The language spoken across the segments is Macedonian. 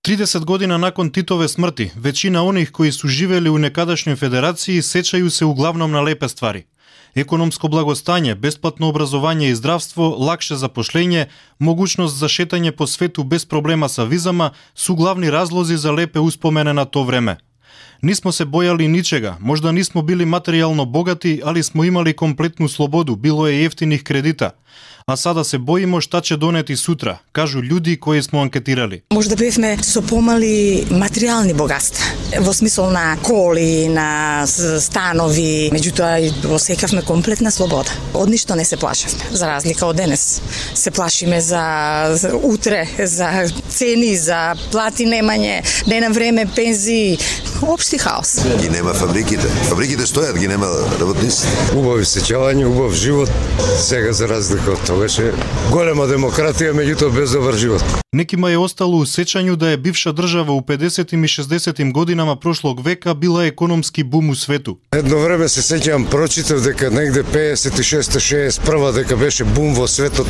30 година након Титове смрти, веćina оних кои су живели у некадашњој федерацији сеќају се углавном на лепе ствари. Економско благостање, бесплатно образование и здравство, лакше запошлење, могуćност за шетање по свету без проблема со визама су главни разлози за лепе успомене на то време. Нисмо се бојали ничега, можда нисмо били материјално богати, али смо имали комплетну слободу, било е ефтиних кредита. А сада се боимо шта ќе донети сутра, кажу луѓи кои смо анкетирали. Можда бевме со помали материјални богатства, во смисол на коли, на станови, меѓутоа осекавме комплетна слобода. Од ништо не се плашевме, за разлика од денес. Се плашиме за утре, за цени, за плати немање, не на време пензии, општи хаос. Ги нема фабриките. Фабриките стојат, ги нема работници. Убави сеќавање, убав живот. Сега за разлика од тогаше голема демократија, меѓутоа без добар живот. Некима е остало у сеќању да е бивша држава у 50-тим и 60-тим годинама прошлог века била економски бум у свету. Едно време се сеќавам, прочитав дека негде 56-61 дека беше бум во светот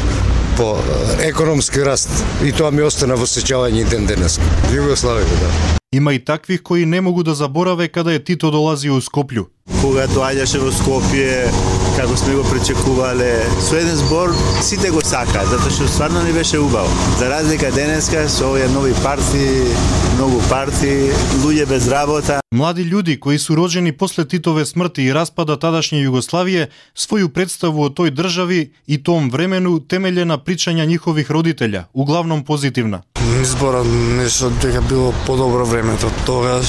по економски раст и тоа ми остана во сеќавање ден денес. Југославија, да. Има и таквих кои не могу да забораве каде Тито долази у Скопју. Кога доаѓаше во Скопје, како сме го пречекувале, со еден збор сите го сакаат, затоа што стварно не беше убаво. За разлика денеска со овие нови партии, многу партии, луѓе без работа. Млади луѓи кои су роđени после Титове смрти и распада тадашње Југославија, своју представу о тој држави и том времену темеле на причања нивових родителја, углавном позитивна. Изборот нешто дека било подобро времето тогаш,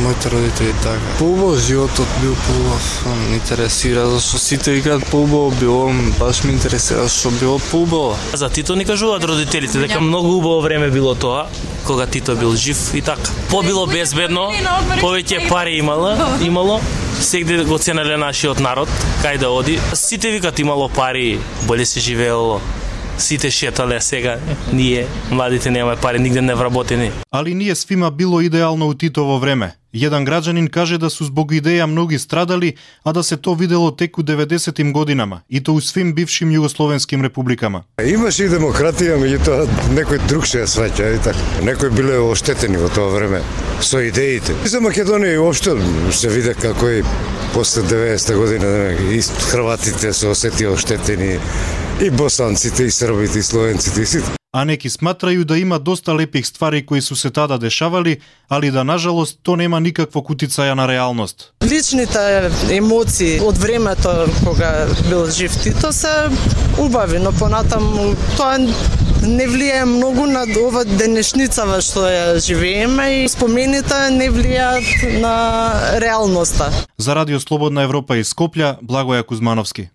моите родители така. Поубав животот бил поубав, ме интересира зашто сите викаат поубаво било, баш ме интересира што било поубаво. За Тито ни кажуваат родителите дека многу убаво време било тоа, кога Тито бил жив и така. Побило безбедно, повеќе пари имало, сегде го ценеле нашиот народ, кај да оди. Сите викаат имало пари, боле се живеело. Сите шетале, сега ние, младите немаме пари, нигде не вработени. Али ние свима било идеално у Титово време. Еден граđanin каже да су због идеја многи страдали, а да се то видело тек у 90-тим годинама, и то у свим бившим југословенским републикама. Имаше и демократија, меѓутоа некој друг се ја сваќа, и така. Некои биле оштетени во тоа време со идеите. И за Македонија уопшто се виде како и после 90-та година и хрватите се осетија оштетени, и босанците, и србите, и словенците, и сите. А неки сматрaju да има доста лепих ствари кои су се тада дешавали, али да нажалост то нема никаквог утицаја на реалност. Личните емоции од времето кога бил жив Тито се убави, но понатаму тоа не влијае многу на ова денешницава што ја живееме и спомените не влијаат на реалноста. За Радио Слободна Европа из Скопје, Благоја Кузмановски.